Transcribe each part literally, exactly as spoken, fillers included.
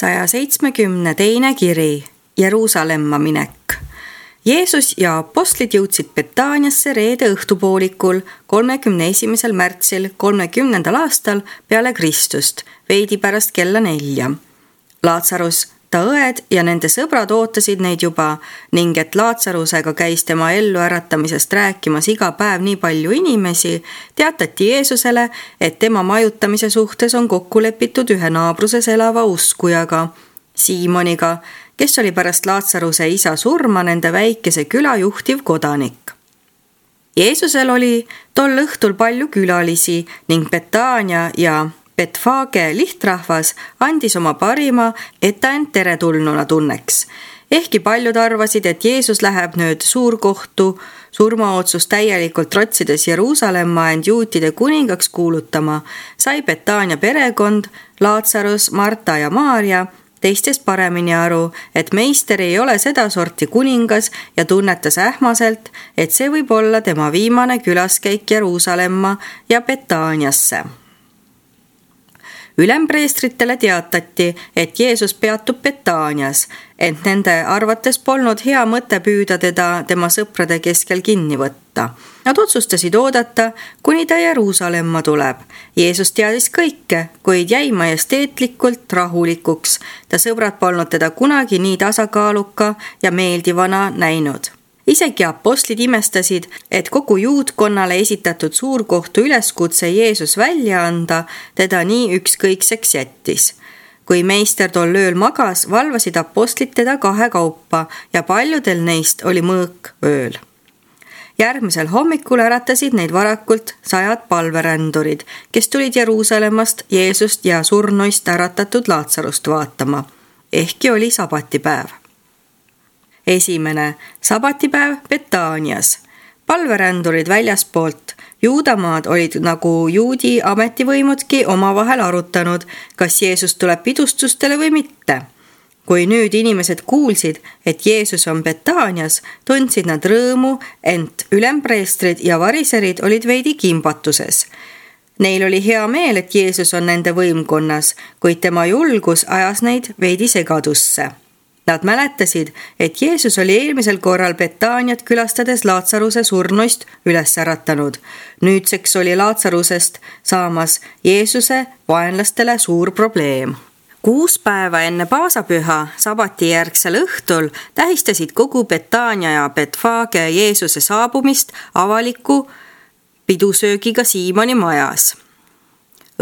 saja seitsmekümne teine kiri, Jeruusalemma minek. Jeesus ja apostlid jõudsid Betaaniasse reede õhtupoolikul kolmekümne esimesel märtsil kolmekümnendal aastal peale Kristust, veidi pärast kella nelja. Laatsarus, ta õed ja nende sõbrad ootasid neid juba ning et Laatsarusega käis tema elluäratamisest rääkimas iga päev nii palju inimesi, teatati Jeesusele, et tema majutamise suhtes on kokku lepitud ühe naabruses elava uskujaga, Siimoniga, kes oli pärast Laatsaruse isa surma nende väikese küla juhtiv kodanik. Jeesusel oli tol õhtul palju külalisi ning Betaania ja Betfage lihtrahvas andis oma parima, et ta end teretulnuna tunneks. Ehkki paljud arvasid, et Jeesus läheb nüüd suurkohtu surmaotsus täielikult trotsides Jeruusalemma end juutide kuningaks kuulutama, sai Betaania perekond, Laatsarus, Marta ja Maaria teistest paremini aru, et meister ei ole seda sorti kuningas ja tunnetas ähmaselt, et see võib olla tema viimane külaskäik Jeruusalemma ja Betaaniasse. Ülempreestritele teatati, et Jeesus peatub Betaanias, ent nende arvates polnud hea mõte püüda teda tema sõprade keskel kinni võtta. Nad otsustasid oodata, kuni ta Jeruusalemma tuleb. Jeesus teadis kõike, kuid jäi majesteetlikult rahulikuks. Ta sõbrad polnud teda kunagi nii tasakaaluka ja meeldivana näinud. Isegi apostlid imestasid, et kogu juutkonnale esitatud suurkohtu üleskutse Jeesus välja anda teda nii ükskõikseks jättis. Kui meister tol ööl magas, valvasid apostlid teda kahe kaupa ja paljudel neist oli mõõk ööl. Järgmisel hommikul äratasid neid varakult sajad palverändurid, kes tulid Jeruusalemmast Jeesust ja surnuist äratatud Laatsarust vaatama, ehkki oli sabatipäev. Esimene, sabatipäev Betaanias. Palverändurid väljaspoolt Juudamaad olid nagu juudi ametivõimudki omavahel arutanud, kas Jeesus tuleb pidustustele või mitte. Kui nüüd inimesed kuulsid, et Jeesus on Betaanias, tundsid nad rõõmu, ent ülempreestrid ja variserid olid veidi kimbatuses. Neil oli hea meel, et Jeesus on nende võimkonnas, kuid tema julgus ajas neid veidi segadusse. Nad mäletasid, et Jeesus oli eelmisel korral Betaaniat külastades Laatsaruse surnuist üles äratanud. Nüüdseks oli Laatsarusest saamas Jeesuse vaenlastele suur probleem. Kuus päeva enne paasapüha, sabatijärgsel õhtul, tähistasid kogu Betaania ja Betfage Jeesuse saabumist avaliku pidusöögiga Siimoni majas.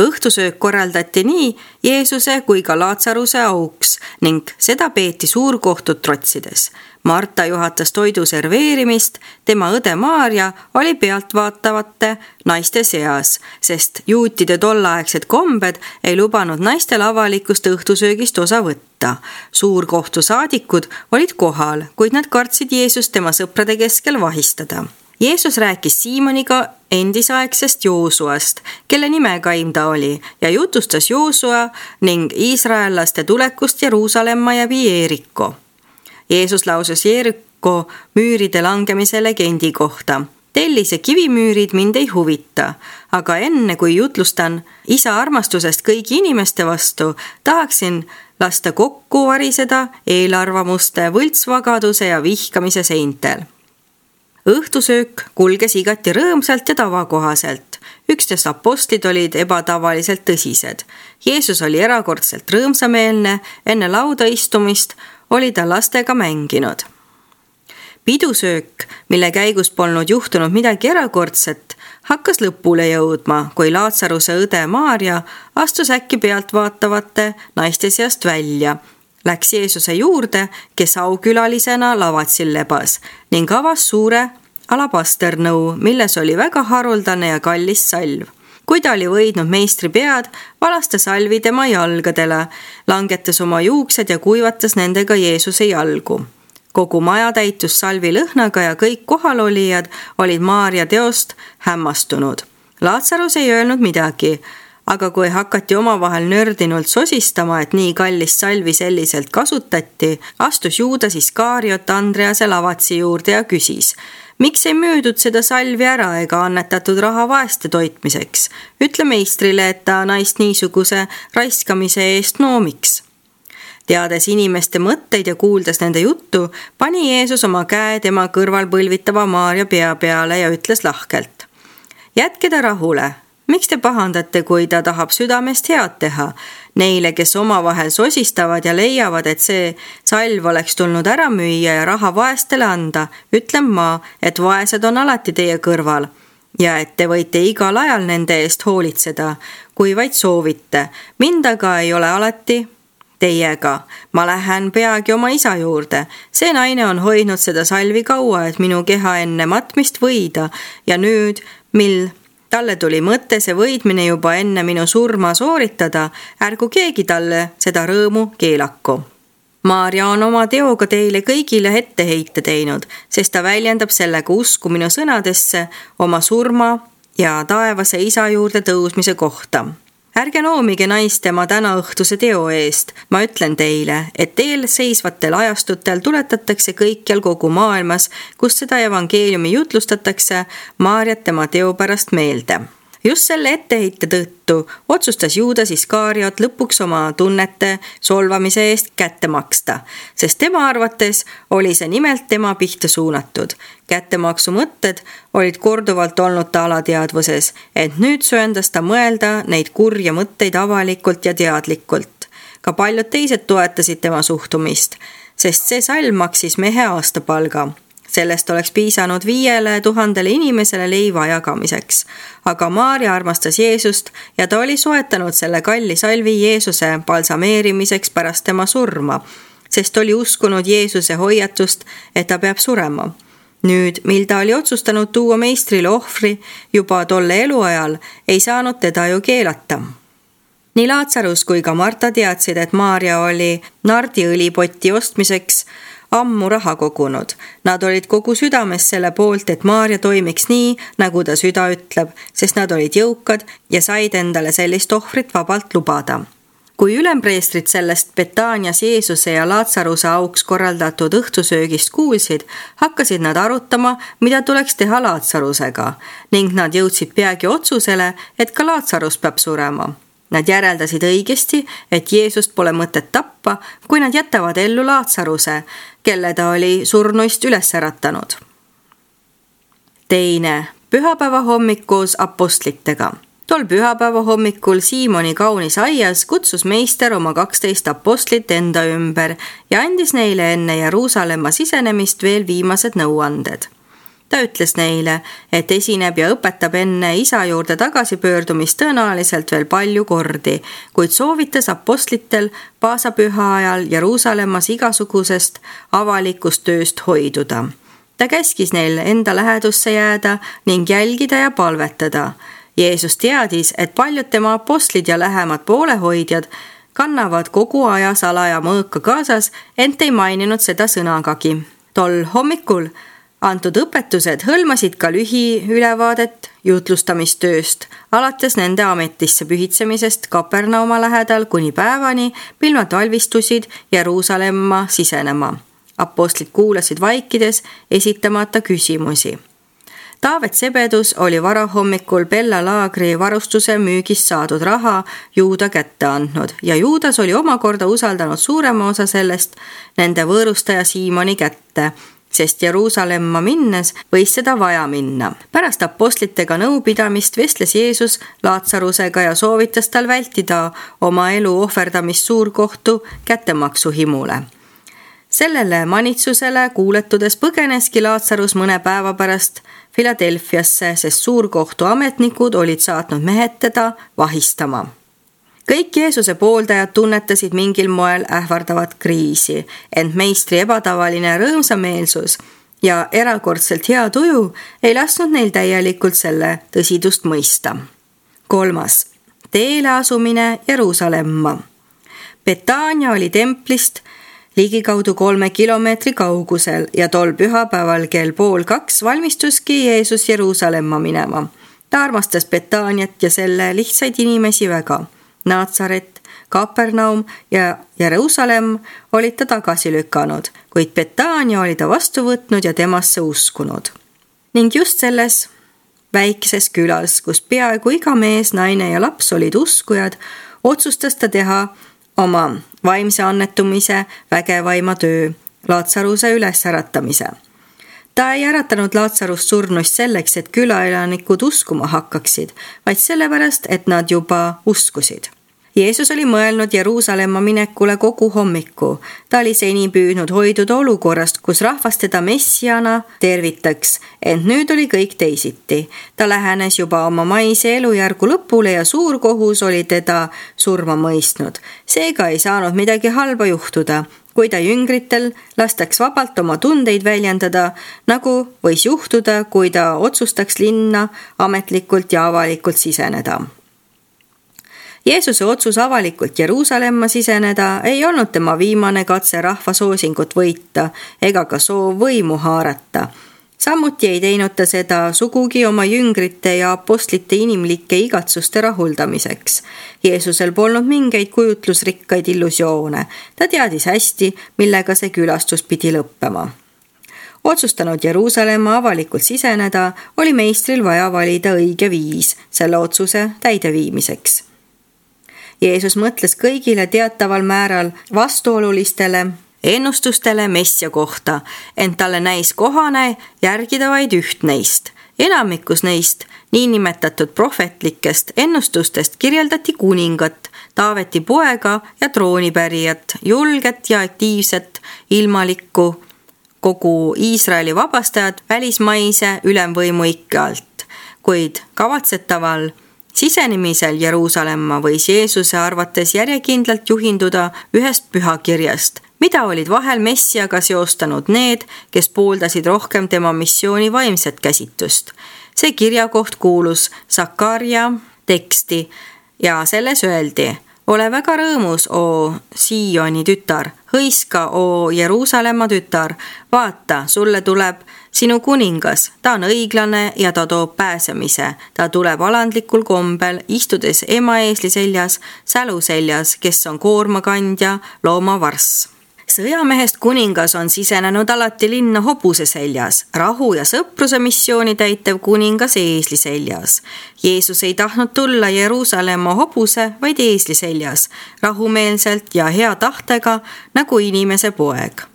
Õhtusöök korraldati nii Jeesuse kui ka Laatsaruse auks ning seda peeti suurkohtut trotsides. Marta juhatas toidu serveerimist, tema õde Maaria oli pealtvaatavate naiste seas, sest juutide tollaegsed kombed ei lubanud naistel avalikust õhtusöögist osa võtta. Suurkohtu saadikud olid kohal, kuid nad kartsid Jeesust tema sõprade keskel vahistada. Jeesus rääkis Siimoniga endisaegsest Joosuast, kelle nimekaim ta oli, ja jutustas Joosua ning iisraellaste tulekust Jeruusalemma ja Jeeriko. Jeesus lausus Jeeriko müüride langemise legendi kohta. Tellise kivimüürid mind ei huvita, aga enne kui jutlustan isa armastusest kõigi inimeste vastu, tahaksin lasta kokku variseda eelarvamuste, võltsvagaduse ja vihkamise seintel. Õhtusöök kulges igati rõõmsalt ja tavakohaselt. Üksteist apostlid olid ebatavaliselt tõsised. Jeesus oli erakordselt rõõmsameelne, enne lauda istumist oli ta lastega mänginud. Pidusöök, mille käigus polnud juhtunud midagi erakordset, hakkas lõpule jõudma, kui Laatsaruse õde Maaria astus äkki pealtvaatavate naiste seast välja. Läks Jeesuse juurde, kes aukülalisena lavatsil lebas ning avas suure alabasternnõu, milles oli väga haruldane ja kallis salv. Kui ta oli võidnud meistri pead, valas ta salvi tema jalgadele, langetas oma juuksed ja kuivatas nendega Jeesuse jalgu. Kogu maja täitus salvi lõhnaga ja kõik kohalolijad olid Maaria teost hämmastunud. Laatsarus ei öelnud midagi, aga kui hakati omavahel nördinult sosistama, et nii kallis salvi selliselt kasutati, astus Juudas Iskariot Andrease lavatsi juurde ja küsis, miks ei müüdud seda salvi ära ega annetatud raha vaeste toitmiseks? Ütle meistrile, et ta naist niisuguse raiskamise eest noomiks. Teades inimeste mõtteid ja kuuldes nende juttu, pani Jeesus oma käe tema kõrval põlvitava Maarja pea peale ja ütles lahkelt: jätke ta rahule, miks te pahandate, kui ta tahab südamest head teha? Neile, kes omavahel sosistavad ja leiavad, et see salv oleks tulnud ära müüa ja raha vaestele anda, ütlen ma, et vaesed on alati teie kõrval ja et te võite igal ajal nende eest hoolitseda, kui vaid soovite. Mind aga ei ole alati teiega. Ma lähen peagi oma isa juurde. See naine on hoidnud seda salvi kaua, et minu keha enne matmist võida ja nüüd, mil talle tuli mõte see võidmine juba enne minu surma sooritada, ärgu keegi talle seda rõõmu keelaku. Maarja on oma teoga teile kõigile etteheite teinud, sest ta väljendab sellega usku minu sõnadesse oma surma ja taevase isa juurde tõusmise kohta. Ärge noomige naist tema tänaõhtuse teo eest. Ma ütlen teile, et eel seisvatel ajastutel tuletatakse kõikjal kogu maailmas, kus seda evangeeliumi jutlustatakse, Maarjat tema teo pärast meelde. Just selle etteheite tõttu otsustas Juudas Iskariot lõpuks oma tunnete solvamise eest kätte maksta, sest tema arvates oli see nimelt tema pihta suunatud. Kättemaksu mõtted olid korduvalt olnud ta alateadvuses, et nüüd sööndas ta mõelda neid kurja mõtteid avalikult ja teadlikult. Ka paljud teised toetasid tema suhtumist, sest see salm maksis mehe aastapalga. Sellest oleks piisanud viiele tuhandele inimesele leiva jagamiseks. Aga Maarja armastas Jeesust ja ta oli soetanud selle kalli salvi Jeesuse balsameerimiseks pärast tema surma, sest oli uskunud Jeesuse hoiatust, et ta peab surema. Nüüd, mil ta oli otsustanud tuua meistrile ohvri juba tolle eluajal, ei saanud teda ju keelata. Nii Laatsarus kui ka Marta teadsid, et Maarja oli nardiõlipotti ostmiseks ammu raha kogunud. Nad olid kogu südames selle poolt, et Maarja toimiks nii, nagu ta süda ütleb, sest nad olid jõukad ja said endale sellist ohvrit vabalt lubada. Kui ülempreestrid sellest Betaanias Jeesuse ja Laatsaruse auks korraldatud õhtusöögist kuulsid, hakkasid nad arutama, mida tuleks teha Laatsarusega, ning nad jõudsid peagi otsusele, et ka Laatsarus peab surema. Nad järeldasid õigesti, et Jeesust pole mõtet tappa, kui nad jätavad ellu Laatsaruse, kelle ta oli surnuist üles äratanud. Teine, pühapäeva hommikul apostlitega. Tol pühapäeva hommikul Siimoni kaunis aias kutsus meister oma kaksteist apostlit enda ümber ja andis neile enne Jeruusalemma sisenemist veel viimased nõuanded. Ta ütles neile, et esineb ja õpetab enne isa juurde tagasipöördumist tõenäoliselt veel palju kordi, kuid soovitas apostlitel paasapüha ajal Jeruusalemmas igasugusest avalikust tööst hoiduda. Ta käskis neil enda lähedusse jääda ning jälgida ja palvetada. Jeesus teadis, et paljud tema apostlid ja lähemad poolehoidjad kannavad kogu aja salaja mõõka kaasas, ent ei maininud seda sõnagagi. Tol hommikul antud õpetused hõlmasid ka lühiülevaadet jutlustamistööst, alates nende ametisse pühitsemisest Kapernauma lähedal kuni päevani, mil nad valmistusid Jeruusalemma sisenema. Apostlid kuulasid vaikides, esitamata küsimusi. Taavet Sebedus oli varahommikul Bella laagri varustuse müügist saadud raha Juuda kätte andnud ja Juudas oli omakorda usaldanud suurema osa sellest nende võõrustaja Siimoni kätte, sest Jeruusalemma minnes võis seda vaja minna. Pärast apostlitega nõupidamist vestles Jeesus Laatsarusega ja soovitas tal vältida oma elu ohverdamist suurkohtu kättemaksu himule. Sellele manitsusele kuuletudes põgeneski Laatsarus mõne päeva pärast Filadelfiasse, sest suurkohtu ametnikud olid saatnud mehed teda vahistama. Kõik Jeesuse pooldajad tunnetasid mingil moel ähvardavat kriisi, ent meistri ebatavaline rõõmsameelsus ja erakordselt hea tuju ei lasknud neil täielikult selle tõsidust mõista. Kolmas, teele asumine Jeruusalemma. Betaania oli templist ligikaudu kolme kilomeetri kaugusel ja tol pühapäeval kell pool kaks valmistuski Jeesus Jeruusalemma minema. Ta armastas Betaaniat ja selle lihtsaid inimesi väga. Naatsaret, Kapernaum ja Jeruusalemm olid ta tagasi lükanud, kuid Betaania oli ta vastu võtnud ja temasse uskunud. Ning just selles väikeses külas, kus peaaegu iga mees, naine ja laps olid uskujad, otsustas ta teha oma vaimse annetumise vägevaima töö, Laatsaruse ülesäratamise. Ta ei äratanud Laatsarust surnuist selleks, et külaelanikud uskuma hakkaksid, vaid sellepärast, et nad juba uskusid. Jeesus oli mõelnud Jeruusalemma minekule kogu hommiku. Ta oli seni püüdnud hoiduda olukorrast, kus rahvas teda messiana tervitaks, ent nüüd oli kõik teisiti. Ta lähenes juba oma maise elujärgu lõpule ja suur kohus oli teda surma mõistnud. Seega ei saanud midagi halba juhtuda, kui ta jüngritel lastaks vabalt oma tundeid väljendada, nagu võis juhtuda, kui ta otsustaks linna ametlikult ja avalikult siseneda. Jeesuse otsus avalikult Jeruusalemma siseneda ei olnud tema viimane katse rahva soosingut võita ega ka soov võimu haarata. Samuti ei teinud ta seda sugugi oma jüngrite ja apostlite inimlike igatsuste rahuldamiseks. Jeesusel polnud mingeid kujutlusrikkaid illusioone. Ta teadis hästi, millega see külastus pidi lõppema. Otsustanud Jeruusalemma avalikult siseneda, oli meistril vaja valida õige viis selle otsuse täideviimiseks. Jeesus mõtles kõigile teataval määral vastuolulistele ennustustele messia kohta, ent talle näis kohane järgida vaid üht neist. Enamikus neist niinimetatud prohvetlikest ennustustest kirjeldati kuningat, Taaveti poega ja troonipärijat, julget ja aktiivset ilmalikku, kogu Iisraeli vabastajat välismaise ülemvõimu ikke alt, kuid kavatsetaval sisenemisel Jeruusalemma võis Jeesuse arvates järjekindlalt juhinduda ühest pühakirjast, mida olid vahel messiaga seostanud need, kes pooldasid rohkem tema missiooni vaimset käsitust. See kirjakoht kuulus Sakarja teksti ja selles öeldi: ole väga rõõmus, o Sioni tütar, hõiska, o Jeruusalemma tütar, vaata, sulle tuleb sinu kuningas, ta on õiglane ja ta toob pääsemise. Ta tuleb alandlikul kombel, istudes ema eesli seljas, sälu seljas, kes on koormakandja, loomavarss. Sõjamehest kuningas on sisenenud alati linna hobuse seljas, rahu ja sõpruse missiooni täitev kuningas eesli seljas. Jeesus ei tahtnud tulla Jeruusalemma hobuse, vaid eesli seljas, rahumeelselt ja hea tahtega nagu inimese poeg.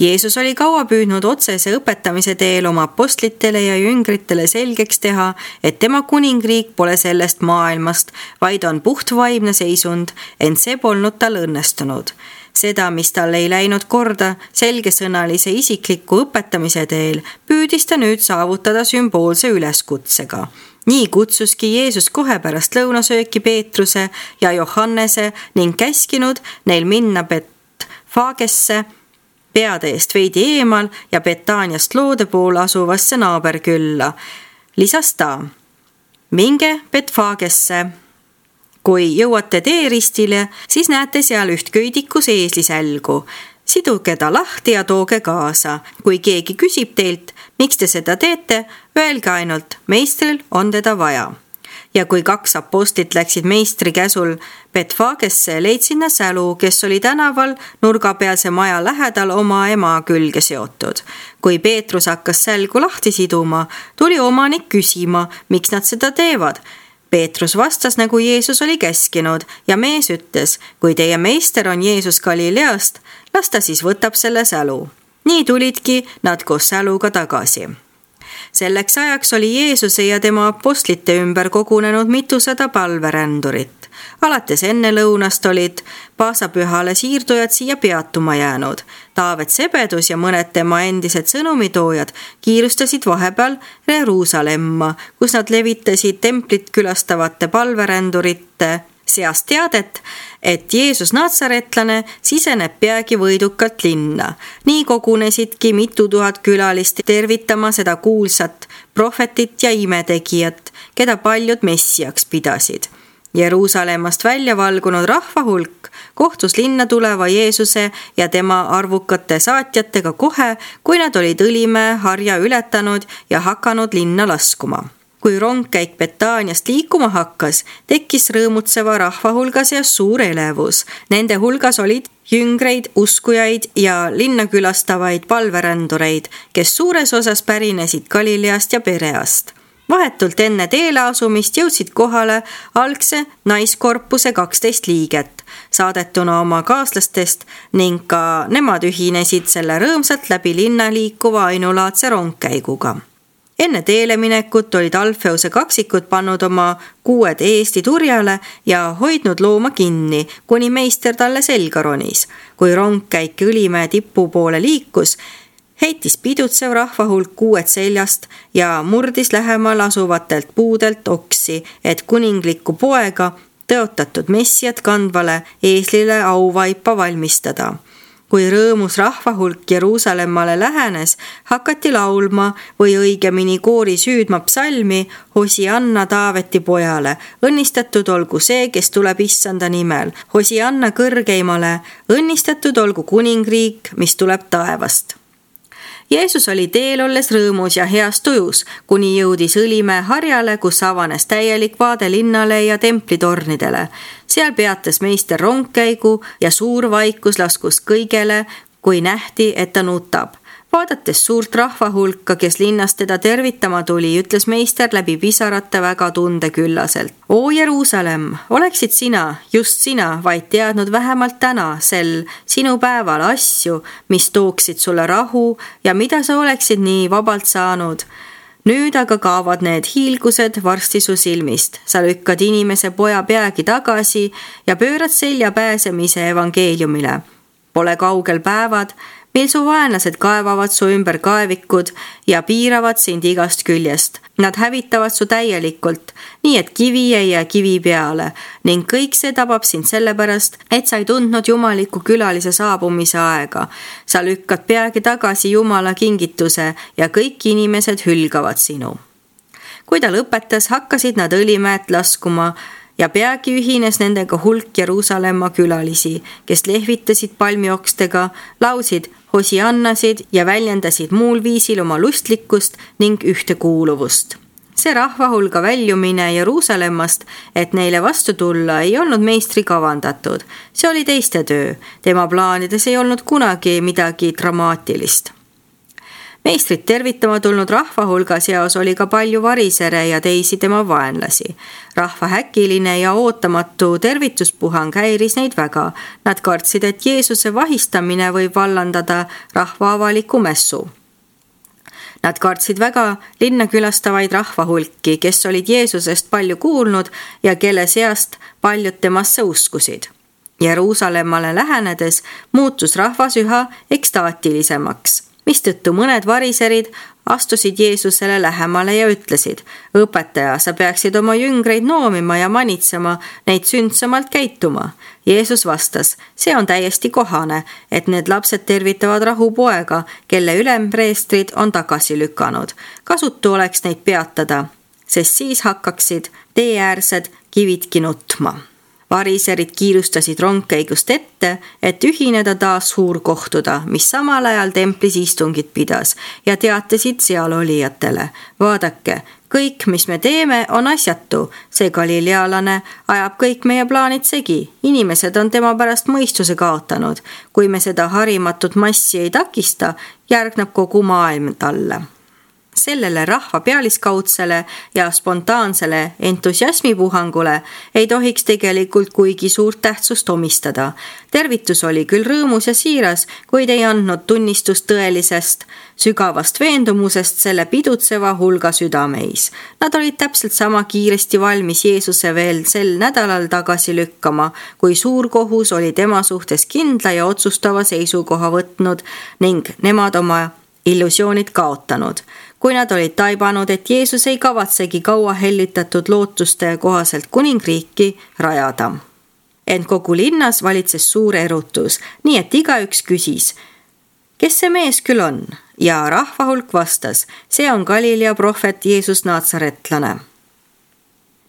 Jeesus oli kaua püüdnud otsese õpetamise teel oma apostlitele ja jüngritele selgeks teha, et tema kuningriik pole sellest maailmast, vaid on puhtvaimne seisund, ent see polnud tal õnnestunud. Seda, mis tal ei läinud korda selgesõnalise isikliku õpetamise teel, püüdis ta nüüd saavutada sümboolse üleskutsega. Nii kutsuski Jeesus kohe pärast lõunasööki Peetruse ja Johannese ning käskinud neil minna Betfagesse, peade eest veidi eemal ja Betaaniast loode pool asuvasse naaberkülla. Lisas ta: minge Betfagesse. Kui jõuate teeristile, siis näete seal üht köidikus eeslisälgu. Siduge ta lahti ja tooge kaasa. Kui keegi küsib teilt, miks te seda teete, öelge ainult: meistril on teda vaja. Ja kui kaks apostlit läksid meistri käsul Betfagesse, leidsid nad sälu, kes oli tänaval nurgapealse maja lähedal oma ema külge seotud. Kui Peetrus hakkas sälgu lahti siduma, tuli omanik küsima, miks nad seda teevad. Peetrus vastas, nagu Jeesus oli käskinud, ja mees ütles: kui teie meister on Jeesus Galileast, las ta siis võtab selle sälu. Nii tulidki nad koos säluga tagasi. Selleks ajaks oli Jeesuse ja tema apostlite ümber kogunenud mitusada palverändurit. Alates enne lõunast olid paasapühale siirdujad siia peatuma jäänud. Taavet Sebedus ja mõned tema endised sõnumitoojad kiirustasid vahepeal Jeruusalemma, kus nad levitasid templit külastavate palverändurite seast teadet, et Jeesus Natsaretlane siseneb peagi võidukalt linna. Nii kogunesidki mitu tuhat külalist tervitama seda kuulsat prohvetit ja imetegijat, keda paljud messiaks pidasid. Jeruusalemmast välja valgunud rahva hulk kohtus linna tuleva Jeesuse ja tema arvukate saatjatega kohe, kui nad olid Õlimäe harja ületanud ja hakanud linna laskuma. Kui rongkäik Betaaniast liikuma hakkas, tekkis rõõmutseva rahva hulga seas suur elevus. Nende hulgas olid jüngreid, uskujaid ja linna külastavaid palverändureid, kes suures osas pärinesid Galileast ja Pereast. Vahetult enne teele asumist jõudsid kohale algse naiskorpuse kaksteist liiget. saadetuna oma kaaslastest ning ka nemad ühinesid selle rõõmsalt läbi linna liikuva ainulaadse rongkäiguga. Enne teele minekut olid Alfeuse kaksikud pannud oma kuued eesti turjale ja hoidnud looma kinni, kuni meister talle selga ronis. Kui rongkäik Õlimäe tipu poole liikus, heitis pidutsev rahvahulk kuued seljast ja murdis lähemal asuvatelt puudelt oksi, et kuninglikku poega tõotatud messiat kandvale eeslile auvaipa valmistada. Kui rõõmus rahvahulk Jeruusalemmale lähenes, hakati laulma või õigemini koori süüdma psalmi Hosianna Taaveti pojale. Õnnistatud olgu see, kes tuleb issanda nimel. Hosianna kõrgeimale, õnnistatud olgu kuningriik, mis tuleb taevast. Jeesus oli teel olles rõõmus ja heas tujus, kuni jõudis Õlimäe harjale, kus avanes täielik vaade linnale ja templitornidele. Seal peatas meister rongkäigu ja suur vaikus laskus kõigele, kui nähti, et ta nutab. Vaadates suurt rahvahulka, kes linnast teda tervitama tuli, ütles meister läbi pisarate väga tundeküllaselt. O Jeruusalemm, oleksid sina, just sina, vaid teadnud vähemalt täna sel sinu päeval asju, mis tooksid sulle rahu ja mida sa oleksid nii vabalt saanud. Nüüd aga kaovad need hiilgused varsti su silmist. Sa lükkad inimese poja peagi tagasi ja pöörad selja pääsemise evangeeliumile. Pole kaugel päevad, mil su vaenlased kaevavad su ümber kaevikud ja piiravad sind igast küljest. Nad hävitavad su täielikult, nii et kivi ei jää kivi peale ning kõik see tabab sind sellepärast, et sa ei tundnud jumaliku külalise saabumise aega. Sa lükkad peagi tagasi Jumala kingituse ja kõik inimesed hülgavad sinu. Kui ta lõpetas, hakkasid nad Õlimäelt laskuma ja peagi ühines nendega hulk Jeruusalemma külalisi, kes lehvitasid palmiokstega, laulsid hosiannasid ja väljendasid muul viisil oma lustlikkust ning ühtekuuluvust. See rahvahulga väljumine Jeruusalemmast, et neile vastu tulla, ei olnud meistri kavandatud. See oli teiste töö. Tema plaanides ei olnud kunagi midagi dramaatilist. Meistrit tervitama tulnud rahvahulga seas oli ka palju varisere ja teisi tema vaenlasi. Rahva häkiline ja ootamatu tervituspuhang häiris neid väga. Nad kartsid, et Jeesuse vahistamine võib vallandada rahva avaliku messu. Nad kartsid väga linna külastavaid rahvahulki, kes olid Jeesusest palju kuulnud ja kelle seast paljud temasse uskusid. Jeruusalemmale lähenedes muutus rahvas üha ekstaatilisemaks, mistõttu mõned variserid astusid Jeesusele lähemale ja ütlesid: õpetaja, sa peaksid oma jüngreid noomima ja manitsema neid sündsamalt käituma. Jeesus vastas: see on täiesti kohane, et need lapsed tervitavad rahupoega, kelle ülempreestrid on tagasi lükanud. Kasutu oleks neid peatada, sest siis hakkaksid teeäärsed kividki nutma. Variserid kiirustasid rongkäigust ette, et ühineda taas suurkohtuda, mis samal ajal templis istungit pidas ja teatasid seal olijatele: vaadake, kõik, mis me teeme, on asjatu. See galilealane ajab kõik meie plaanid segi. Inimesed on tema pärast mõistuse kaotanud. Kui me seda harimatut massi ei takista, järgneb kogu maailm talle. Sellele rahva pealiskaudsele ja spontaansele entusiasmipuhangule ei tohiks tegelikult kuigi suurt tähtsust omistada. Tervitus oli küll rõõmus ja siiras, kuid ei andnud tunnistust tõelisest, sügavast veendumusest selle pidutseva hulga südameis. Nad olid täpselt sama kiiresti valmis Jeesuse veel sel nädalal tagasi lükkama, kui suur kohus oli tema suhtes kindla ja otsustava seisukoha võtnud ning nemad oma illusioonid kaotanud. Kui nad olid taibanud, et Jeesus ei kavatsegi kaua hellitatud lootuste kohaselt kuningriiki rajada. Ent kogu linnas valitses suur erutus, nii et igaüks küsis: kes see mees küll on? Ja rahvahulk vastas: see on Galilea prohvet Jeesus Naatsaretlane.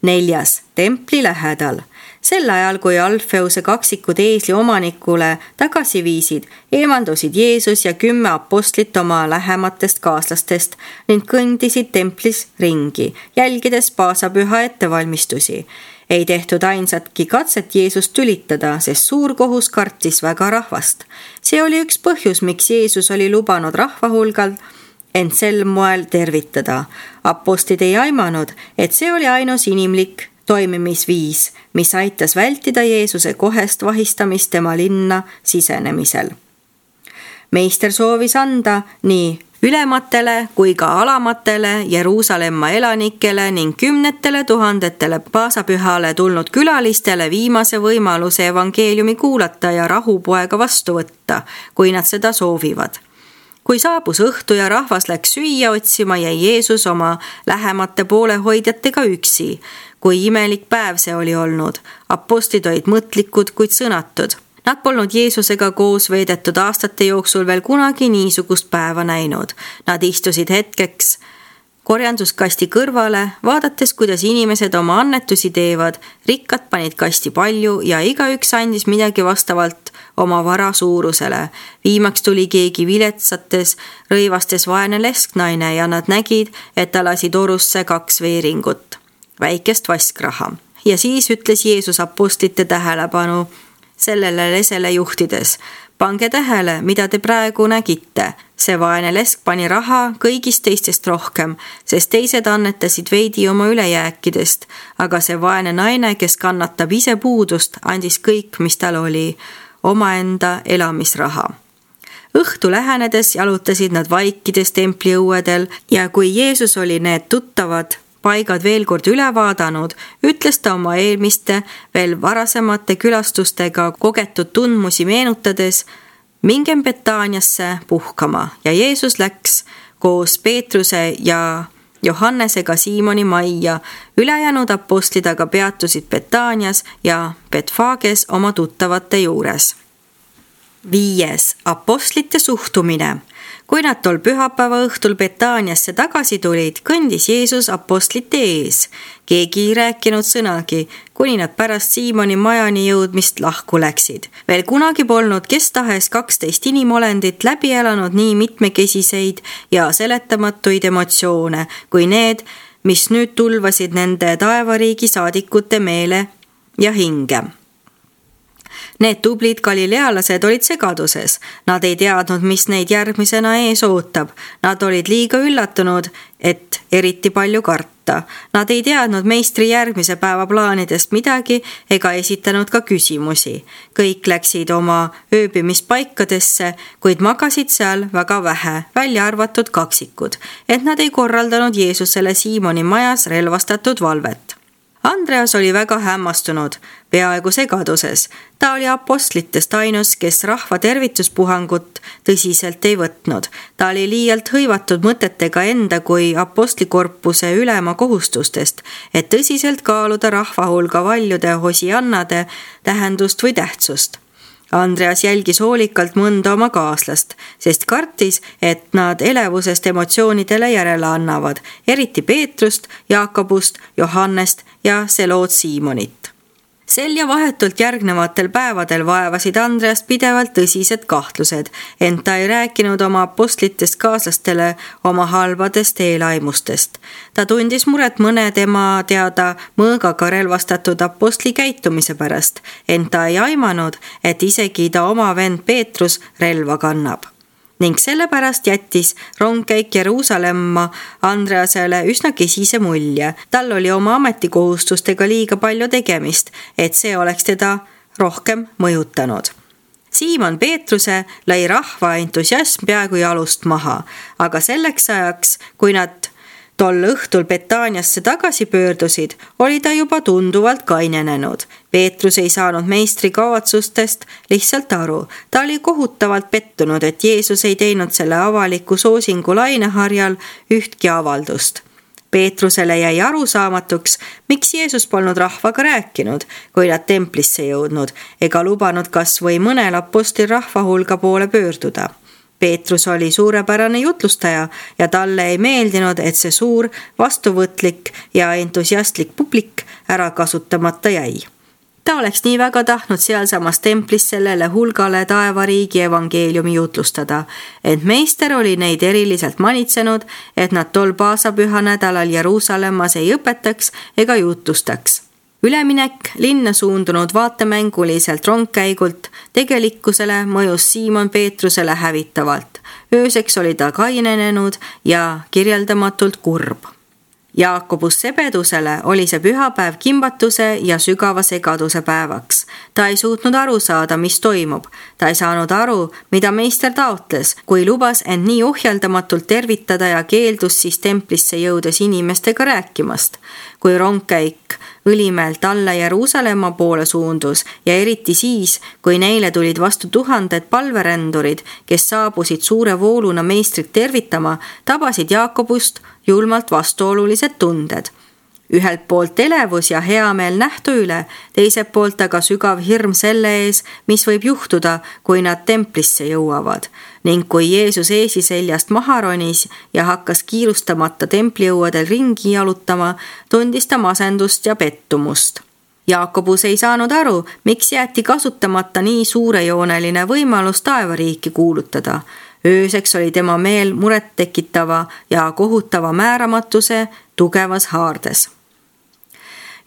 Neljas, templi lähedal. Sel ajal, kui Alfeuse kaksikud eesli omanikule tagasi viisid, eemaldusid Jeesus ja kümme apostlit oma lähematest kaaslastest ning kõndisid templis ringi, jälgides paasapüha ettevalmistusi. Ei tehtud ainsatki katset Jeesust tülitada, sest suur kohus kartis väga rahvast. See oli üks põhjus, miks Jeesus oli lubanud rahvahulgal ent sel moel tervitada. Apostlid ei aimanud, et see oli ainus inimlik toimimisviis, mis aitas vältida Jeesuse kohest vahistamist tema linna sisenemisel. Meister soovis anda nii ülematele kui ka alamatele Jeruusalemma elanikele ning kümnetele tuhandetele paasapühale tulnud külalistele viimase võimaluse evangeeliumi kuulata ja rahupoega vastu võtta, kui nad seda soovivad. Kui saabus õhtu ja rahvas läks süüa otsima, jäi Jeesus oma lähemate poolehoidjatega üksi. Kui imelik päev see oli olnud, apostlid olid mõtlikud, kuid sõnatud. Nad polnud Jeesusega koos veedetud aastate jooksul veel kunagi niisugust päeva näinud. Nad istusid hetkeks korjanduskasti kõrvale, vaadates, kuidas inimesed oma annetusi teevad. Rikkad panid kasti palju ja igaüks andis midagi vastavalt oma vara suurusele. Viimaks tuli keegi viletsates, rõivastes vaene lesknaine ja nad nägid, et ta lasi torusse kaks veeringut, väikest vaskraha. Ja siis ütles Jeesus apostlite tähelepanu sellele lesele juhtides. Pange tähele, mida te praegu nägite. See vaene lesk pani raha kõigist teistest rohkem, sest teised annetasid veidi oma ülejääkidest, aga see vaene naine, kes kannatab ise puudust, andis kõik, mis tal oli, omaenda elamisraha. Õhtu lähenedes jalutasid nad vaikides templi õuedel ja kui Jeesus oli need tuttavad paigad veel kord üle vaadanud, ütles ta oma eelmiste veel varasemate külastustega kogetud tundmusi meenutades, mingem Betaaniasse puhkama ja Jeesus läks koos Peetruse ja Johannesega Siimoni majja. Ülejäänud apostlid aga peatusid Betaanias ja Betfages oma tuttavate juures. Viies. Apostlite suhtumine. Kui nad tol pühapäeva õhtul Betaaniasse tagasi tulid, kõndis Jeesus apostlite ees. Keegi ei rääkinud sõnagi, kuni nad pärast Siimoni majani jõudmist lahku läksid. Veel kunagi polnud kes tahes kaksteist inimolendit läbi elanud nii mitmekesiseid ja seletamatuid emotsioone, kui need, mis nüüd tulvasid nende taevariigi saadikute meele ja hinge. Need tublid galilealased olid segaduses. Nad ei teadnud, mis neid järgmisena ees ootab. Nad olid liiga üllatunud, et eriti palju karta. Nad ei teadnud meistri järgmise päeva plaanidest midagi ega esitanud ka küsimusi. Kõik läksid oma ööbimispaikadesse, kuid magasid seal väga vähe, välja arvatud kaksikud, et nad ei korraldanud Jeesusele Siimoni majas relvastatud valvet. Andreas oli väga hämmastunud, peaaegu segaduses. Ta oli apostlitest ainus, kes rahva tervituspuhangut tõsiselt ei võtnud. Ta oli liialt hõivatud mõtetega enda kui apostlikorpuse ülema kohustustest, et tõsiselt kaaluda rahva hulga valjude hosiannade tähendust või tähtsust. Andreas jälgis hoolikalt mõnda oma kaaslast, sest kartis, et nad elevusest emotsioonidele järele annavad, eriti Peetrust, Jaakobust, Johannest ja Seloot Siimonit. Sel ja vahetult järgnevatel päevadel vaevasid Andreast pidevalt tõsised kahtlused, ent ta ei rääkinud oma apostlitest kaaslastele oma halbadest eelaimustest. Ta tundis muret mõne tema teada mõõgaga relvastatud apostli käitumise pärast, ent ta ei aimanud, et isegi ta oma vend Peetrus relva kannab. Ning sellepärast jättis rongkäik Jeruusalemma Andreasele üsna kesise mulje. Tal oli oma ametikohustustega liiga palju tegemist, et see oleks teda rohkem mõjutanud. Siimon Peetruse lõi rahva entusiasm peaaegu jalust maha, aga selleks ajaks, kui nad tol õhtul Betaaniasse tagasi pöördusid, oli ta juba tunduvalt kainenenud. Peetrus ei saanud meistri kavatsustest lihtsalt aru. Ta oli kohutavalt pettunud, et Jeesus ei teinud selle avaliku soosingu laineharjal ühtki avaldust. Peetrusele jäi arusaamatuks, miks Jeesus polnud rahvaga rääkinud, kui nad templisse jõudnud, ega lubanud kas või mõnel apostli rahva hulga poole pöörduda. Peetrus oli suurepärane jutlustaja ja talle ei meeldinud, et see suur, vastuvõtlik ja entusiastlik publik ära kasutamata jäi. Ta oleks nii väga tahtnud sealsamas templis sellele hulgale taevariigi evangeeliumi jutlustada, et meister oli neid eriliselt manitsenud, et nad tol paasapüha nädalal Jeruusalemmas ei õpetaks ega jutlustaks. Üleminek linna suundunud vaatemänguliselt rongkäigult tegelikkusele mõjus Siimon Peetrusele hävitavalt. Ööseks oli ta kainenenud ja kirjeldamatult kurb. Jaakobus Sebedusele oli see pühapäev kimbatuse ja sügava segaduse päevaks. Ta ei suutnud aru saada, mis toimub. Ta ei saanud aru, mida meister taotles, kui lubas end nii ohjeldamatult tervitada ja keeldus siis templisse jõudes inimestega rääkimast. Kui rongkäik Õlimäelt alla Jeruusalemma poole suundus ja eriti siis, kui neile tulid vastu tuhanded palverändurid, kes saabusid suure vooluna meistrit tervitama, tabasid Jaakobust julmalt vastuolulised tunded. Ühelt poolt elevus ja heameel nähtu üle, teiselt poolt aga sügav hirm selle ees, mis võib juhtuda, kui nad templisse jõuavad. Ning kui Jeesus eesiseljast maha ronis ja hakkas kiirustamata templiõuadel ringi jalutama, tundis ta masendust ja pettumust. Jaakobus ei saanud aru, miks jäeti kasutamata nii suurejooneline võimalus taevariiki kuulutada. Ööseks oli tema meel muret tekitava ja kohutava määramatuse tugevas haardes.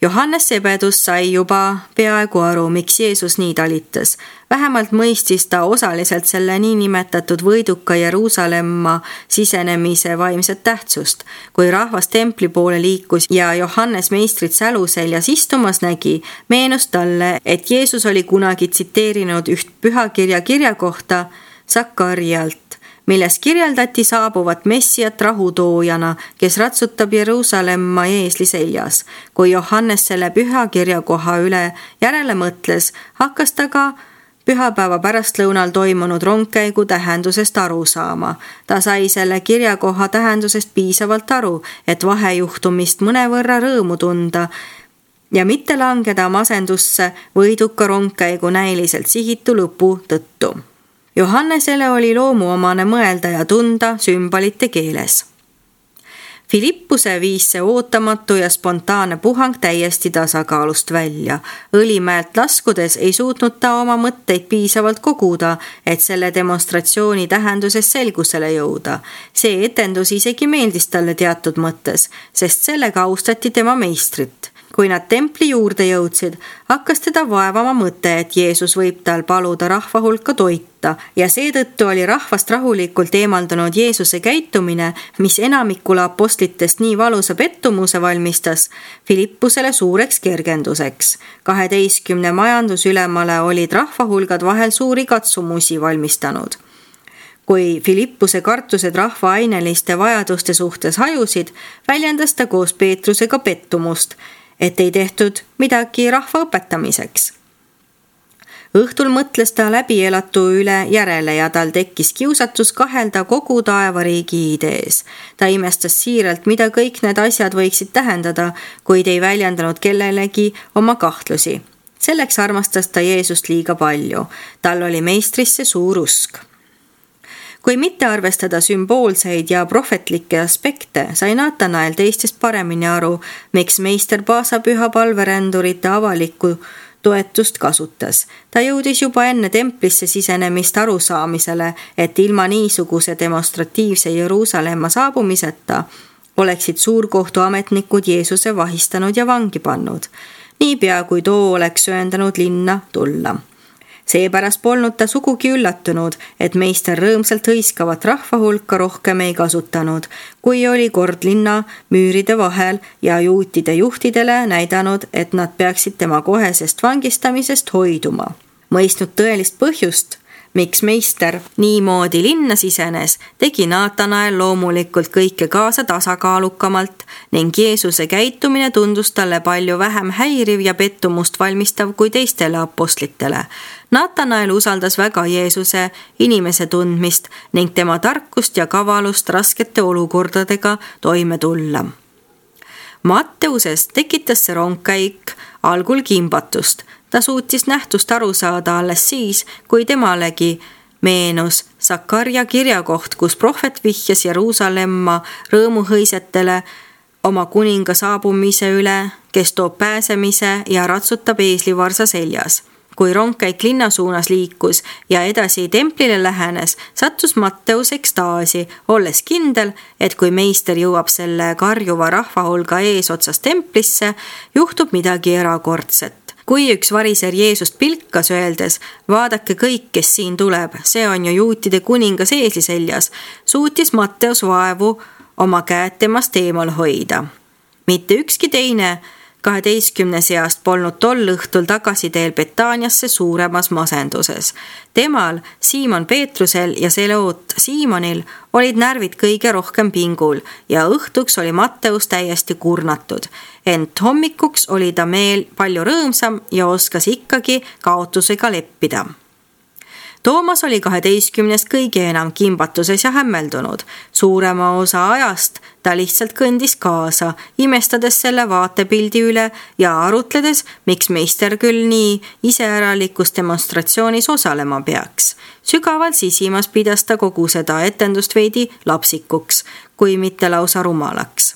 Johannes Sebedus sai juba peaaegu aru, miks Jeesus nii talitas. Vähemalt mõistis ta osaliselt selle niinimetatud võiduka Jeruusalemma sisenemise vaimset tähtsust. Kui rahvas templi poole liikus ja Johannes meistrit säluseljas istumas nägi, meenus talle, et Jeesus oli kunagi tsiteerinud üht pühakirja kirja kohta Sakarialt, milles kirjeldati saabuvat messiat rahutoojana, kes ratsutab Jeruusalemma eesli seljas. Kui Johannes selle pühakirja koha üle järele mõtles, hakkas ta ka pühapäeva pärastlõunal toimunud rongkäigu tähendusest aru saama. Ta sai selle kirjakoha tähendusest piisavalt aru, et vahejuhtumist mõnevõrra rõõmu tunda ja mitte langeda masendusse võiduka rongkäigu näiliselt sihitu lõpu tõttu. Johannesele oli loomuomane mõelda ja tunda sümbolite keeles. Filippuse viis see ootamatu ja spontaanne puhang täiesti tasakaalust välja. Õlimäelt laskudes ei suutnud ta oma mõtteid piisavalt koguda, et selle demonstratsiooni tähenduses selgusele jõuda. See etendus isegi meeldis talle teatud mõttes, sest sellega austati tema meistrit. Kui nad templi juurde jõudsid, hakkas teda vaevama mõte, et Jeesus võib tal paluda rahva hulka toita ja seetõttu oli rahvast rahulikult eemaldunud Jeesuse käitumine, mis enamikule apostlitest nii valusa pettumuse valmistas, Filippusele suureks kergenduseks. kaheteistkümne majandusülemale olid rahvahulgad vahel suuri katsumusi valmistanud. Kui Filippuse kartused rahva aineliste vajaduste suhtes hajusid, väljendas ta koos Peetrusega pettumust, et ei tehtud midagi rahva õpetamiseks. Õhtul mõtles ta läbielatu üle järele ja tal tekkis kiusatus kahelda kogu taevariigi idees. Ta imestas siiralt, mida kõik need asjad võiksid tähendada, kuid ei väljendanud kellelegi oma kahtlusi. Selleks armastas ta Jeesust liiga palju. Tal oli meistrisse suur usk. Kui mitte arvestada sümboolseid ja prohvetlikke aspekte, sai Natanael teistest paremini aru, miks meister paasapüha palverändurite avalikku toetust kasutas. Ta jõudis juba enne templisse sisenemist arusaamisele, et ilma niisuguse demonstratiivse Jeruusalemma saabumiseta oleksid suurkohtuametnikud Jeesuse vahistanud ja vangi pannud. Niipea kui too oleks sööndanud linna tulla. Seepärast polnud ta sugugi üllatunud, et meister rõõmsalt hõiskavat rahva hulka rohkem ei kasutanud, kui oli kord linna müüride vahel ja juutide juhtidele näidanud, et nad peaksid tema kohesest vangistamisest hoiduma. Mõistnud tõelist põhjust, miks meister niimoodi linna sisenes, tegi Natanael loomulikult kõike kaasa tasakaalukamalt ning Jeesuse käitumine tundus talle palju vähem häiriv ja pettumust valmistav kui teistele apostlitele. Natanael usaldas väga Jeesuse inimese tundmist ning tema tarkust ja kavalust raskete olukordadega toime tulla. Matteusest tekitas see rongkäik algul kimbatust. Ta suutis nähtust aru saada alles siis, kui temalegi meenus Sakarja kirjakoht, kus prohvet vihjas Jeruusalemma rõõmuhõisetele oma kuninga saabumise üle, kes toob pääsemise ja ratsutab eeslivarsa seljas. Kui rongkäik linna suunas liikus ja edasi templile lähenes, sattus Matteus ekstaasi, olles kindel, et kui meister jõuab selle karjuva rahvahulga eesotsas templisse, juhtub midagi erakordset. Kui üks variser Jeesust pilkas öeldes, vaadake kõik, kes siin tuleb, see on ju juutide kuningas eesli seljas, suutis Matteus vaevu oma käed temast eemal hoida. mitte ükski teine kaheteistkümne seast polnud tol õhtul tagasiteel Betaaniasse suuremas masenduses. Temal, Siimon Peetrusel ja Seloot Siimonil olid närvid kõige rohkem pingul ja õhtuks oli Matteus täiesti kurnatud. Ent hommikuks oli ta meel palju rõõmsam ja oskas ikkagi kaotusega leppida. Toomas oli kaheteistkümnest kõige enam kimbatuses ja hämmeldunud. Suurema osa ajast ta lihtsalt kõndis kaasa, imestades selle vaatepildi üle ja arutledes, miks meister küll nii iseäralikus demonstratsioonis osalema peaks. Sügavalt sisimas pidas ta kogu seda etendust veidi lapsikuks, kui mitte lausa rumalaks.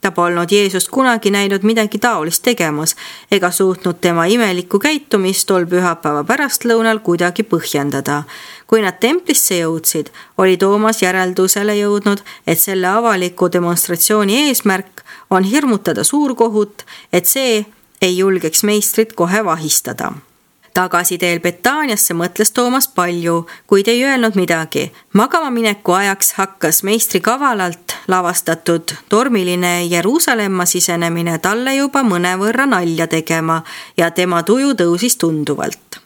Ta polnud Jeesust kunagi näinud midagi taolist tegemas ega suutnud tema imelikku käitumist tol pühapäeva pärastlõunal kuidagi põhjendada. Kui nad templisse jõudsid, oli Toomas järeldusele jõudnud, et selle avaliku demonstratsiooni eesmärk on hirmutada suurkohut, et see ei julgeks meistrit kohe vahistada. Tagasiteel Betaaniasse mõtles Toomas palju, kuid ei öelnud midagi. Magama mineku ajaks hakkas meistri kavalalt lavastatud tormiline Jeruusalemma sisenemine talle juba mõnevõrra nalja tegema ja tema tuju tõusis tunduvalt.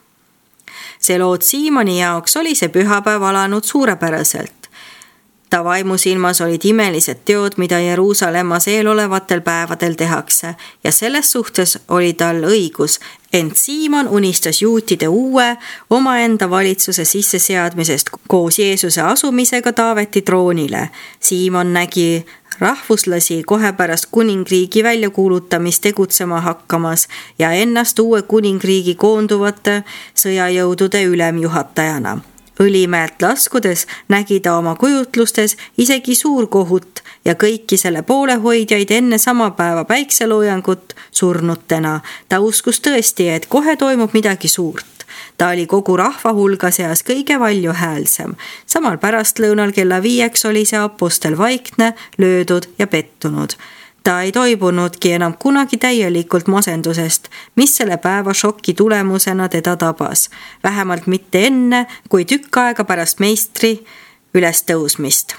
Seloot Siimoni jaoks oli see pühapäev alanud suurepäraselt. Ta vaimusilmas olid imelised teod, mida Jeruusalemmas eelolevatel päevadel tehakse ja selles suhtes oli tal õigus, ent Siimon unistas juutide uue omaenda valitsuse sisseseadmisest koos Jeesuse asumisega Taaveti troonile. Siimon nägi rahvuslasi kohe pärast kuningriigi väljakuulutamist tegutsema hakkamas ja ennast uue kuningriigi koonduvate sõjajõudude ülemjuhatajana. Õlimäelt laskudes nägi ta oma kujutlustes isegi suurkohut ja kõiki selle poolehoidjaid enne sama päeva päikseloojangut surnutena. Ta uskus tõesti, et kohe toimub midagi suurt. Ta oli kogu rahva hulga seas kõige valjuhäälsem. Samal pärastlõunal kella viieks oli see apostel vaikne, löödud ja pettunud. Ta ei toibunudki enam kunagi täielikult masendusest, mis selle päeva šoki tulemusena teda tabas. Vähemalt mitte enne, kui tükk aega pärast meistri üles tõusmist.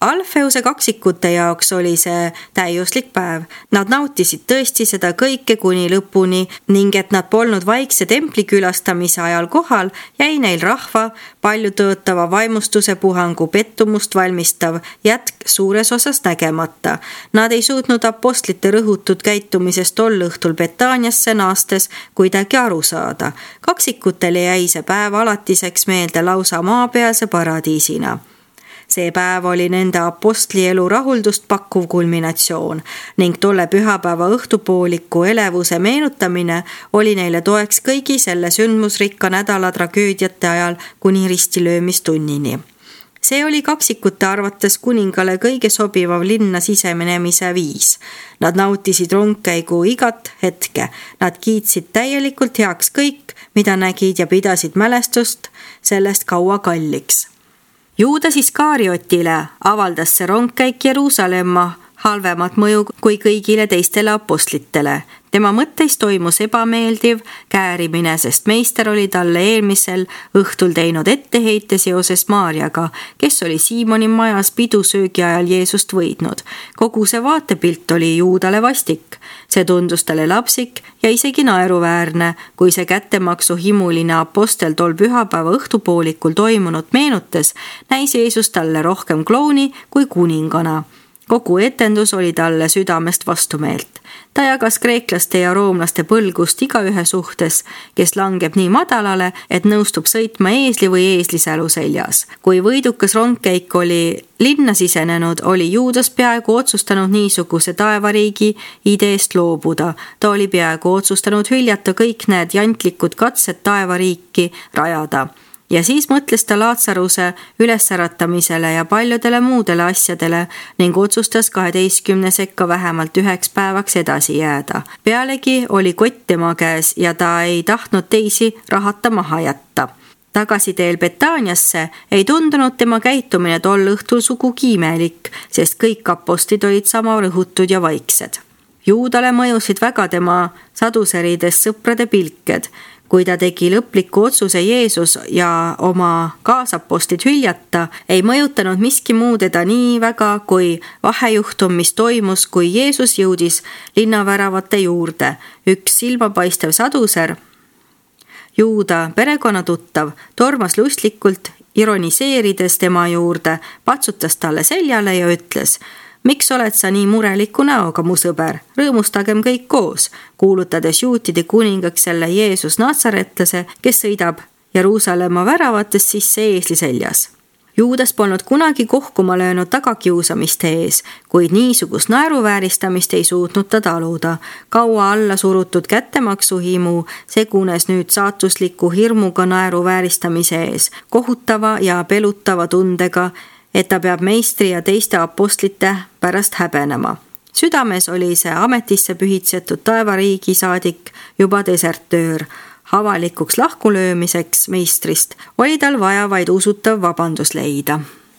Alfeuse kaksikute jaoks oli see täiuslik päev. Nad nautisid tõesti seda kõike kuni lõpuni ning et nad polnud vaikse templi külastamise ajal kohal, jäi neil rahva palju tõotava vaimustuse puhangu pettumust valmistav jätk suures osas nägemata. Nad ei suutnud apostlite rõhutud käitumisest tol õhtul Betaaniasse naastes kuidagi aru saada. Kaksikutele jäi see päev alatiseks meelde lausa maapealse paradiisina. See päev oli nende apostlielu rahuldust pakkuv kulminatsioon ning tolle pühapäeva õhtupooliku elevuse meenutamine oli neile toeks kõigi selle sündmusrikka nädala tragöödiate ajal kuni ristilöömistunnini. See oli kaksikute arvates kuningale kõige sobivav linna sisemenemise viis. Nad nautisid rongkäigu igat hetke. Nad kiitsid täielikult heaks kõik, mida nägid ja pidasid mälestust sellest kaua kalliks. Juudas Iskariotile avaldas see rongkäik Jeruusalemma halvemat mõju kui kõigile teistele apostlitele. Tema mõtteis toimus ebameeldiv käärimine, sest meister oli talle eelmisel õhtul teinud etteheite seoses Maarjaga, kes oli Siimoni majas pidusöögi ajal Jeesust võidnud. Kogu see vaatepilt oli Juudale vastik. See tundus talle lapsik ja isegi naeruväärne, kui see kättemaksu himuline apostel tol pühapäeva õhtupoolikul toimunut meenutas, näis Jeesus talle rohkem klouni kui kuningana. Kogu etendus oli talle südamest vastumeelt. Ta jagas kreeklaste ja roomlaste põlgust igaühe suhtes, kes langeb nii madalale, et nõustub sõitma eesli või eeslisälu seljas. Kui võidukas rongkäik oli linna sisenenud, oli Juudas peaaegu otsustanud niisuguse taevariigi ideest loobuda. Ta oli peaaegu otsustanud hüljata kõik need jantlikud katsed taevariiki rajada. Ja siis mõtles ta Laatsaruse ülessäratamisele ja paljudele muudele asjadele ning otsustas kaheteistkümne sekka vähemalt üheks päevaks edasi jääda. Pealegi oli kott tema käes ja ta ei tahtnud teisi rahata maha jätta. Tagasiteel Betaaniasse ei tundunud tema käitumine tol õhtul sugugi imelik, sest kõik apostlid olid sama rõhutud ja vaiksed. Juudale mõjusid väga tema saduserides sõprade pilked. kui ta tegi lõpliku otsuse Jeesus ja oma kaasapostlid hüljata, ei mõjutanud miski muu teda nii väga kui vahejuhtum, mis toimus, kui Jeesus jõudis linnaväravate juurde. Üks silmapaistev saduser, Juuda perekonnatuttav, tormas lustlikult, ironiseerides tema juurde, patsutas talle seljale ja ütles: miks oled sa nii mureliku näoga, mu sõber? Rõõmustagem kõik koos, kuulutades juutide kuningaks selle Jeesus natsaretlase, kes sõidab Jeruusalemma väravatest sisse eesli seljas. Juudas polnud kunagi kohkuma löönud tagakiusamiste ees, kuid niisugust naeruvääristamist ei suutnud ta taluda. Kaua alla surutud kättemaksuhimu segunes nüüd saatusliku hirmuga naeruvääristamise ees, kohutava ja pelutava tundega, et ta peab meistri ja teiste apostlite pärast häbenema. Südames oli see ametisse pühitsetud taevariigi saadik juba desertöör. Avalikuks lahkulöömiseks meistrist oli tal vaja vaid usutav vabandus leida.